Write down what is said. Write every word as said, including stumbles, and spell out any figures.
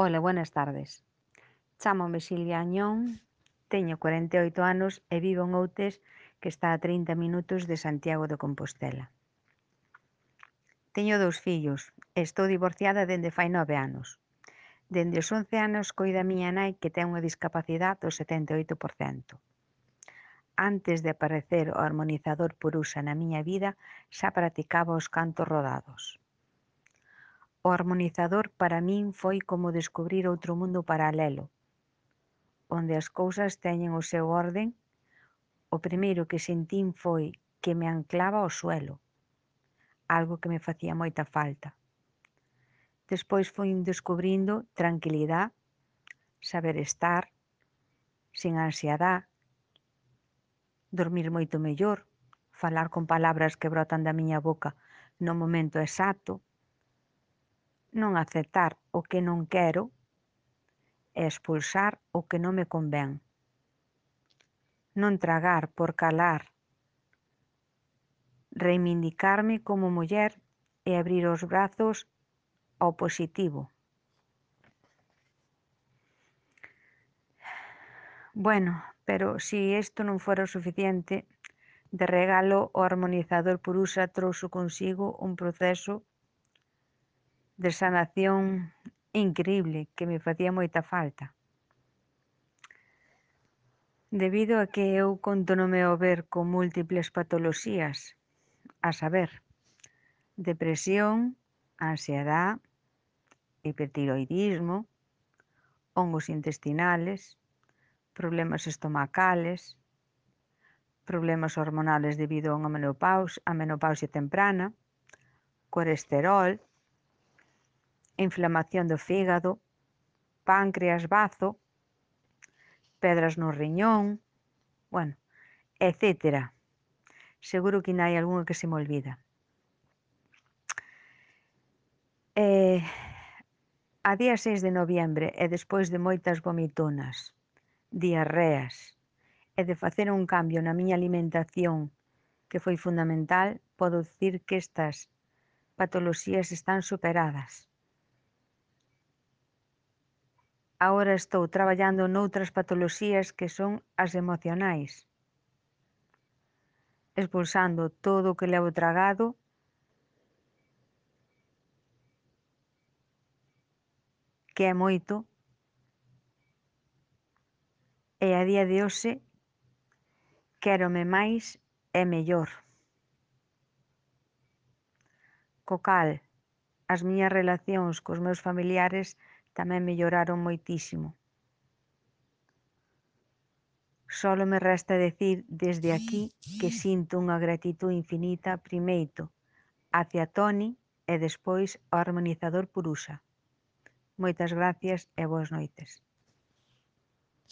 Ola, buenas tardes. Chámome Silvia Añón, teño cuarenta e oito anos e vivo en Outes, que está a trinta minutos de Santiago de Compostela. Teño dous fillos e estou divorciada dende fai nove anos. Dende os once anos coido a miña nai, que ten unha discapacidade do setenta e oito por cento. Antes de aparecer o armonizador Purusha na miña vida, xa practicaba os cantos rodados. O armonizador para min foi como descubrir outro mundo paralelo, onde as cousas teñen o seu orden. O primeiro que sentín foi que me anclaba ao suelo, algo que me facía moita falta. Despois fui descubrindo tranquilidade, saber estar, sin ansiedade, dormir moito mellor, falar con palabras que brotan da miña boca no momento exacto, non aceptar o que non quero e expulsar o que non me convén. Non tragar por calar, reivindicarme como muller e abrir os brazos ao positivo. Bueno, pero si isto non fora o suficiente, de regalo o armonizador Purusha trouxo consigo un proceso de sanación increíble que me facía moita falta. Debido a que eu contónome ao ver con múltiples patoloxías, a saber, depresión, ansiedade, hipertiroidismo, hongos intestinales, problemas estomacales, problemas hormonales debido a unha menopausia, a menopausia temprana, colesterol, inflamación do fígado, páncreas, bazo, pedras no riñón, bueno, etcétera. Seguro que ainda hai algunha que se me olvida. Eh, a día seis de noviembre, e despois de moitas vomitonas, diarreas, e de facer un cambio na miña alimentación que foi fundamental, podo dicir que estas patoloxías están superadas. Agora estou traballando noutras patoloxías que son as emocionais, expulsando todo o que levo tragado que é moito, e a día de hoxe quérome máis e mellor. Co cal, as miñas relacións cos meus familiares tamén melloraron moitísimo. Solo me resta decir desde aquí que sinto unha gratitude infinita primeiro hacia Toni e despois ao armonizador Purusha. Moitas gracias e boas noites.